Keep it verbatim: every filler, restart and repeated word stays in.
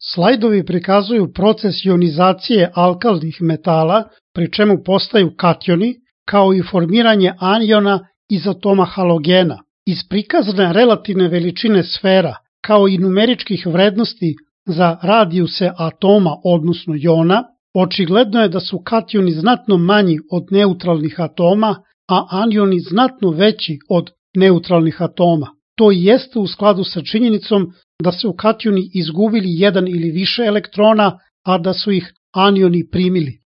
Slajdovi prikazuju proces ionizacije alkalnih metala, pri čemu postaju kationi, kao i formiranje aniona iz atoma halogena. Iz prikazane relativne veličine sfera, kao i numeričkih vrednosti za radijuse atoma, odnosno jona, očigledno je da su kationi znatno manji od neutralnih atoma, a anioni znatno veći od neutralnih atoma. To i jeste u skladu sa činjenicom da su kationi izgubili jedan ili više elektrona, a da su ih anioni primili.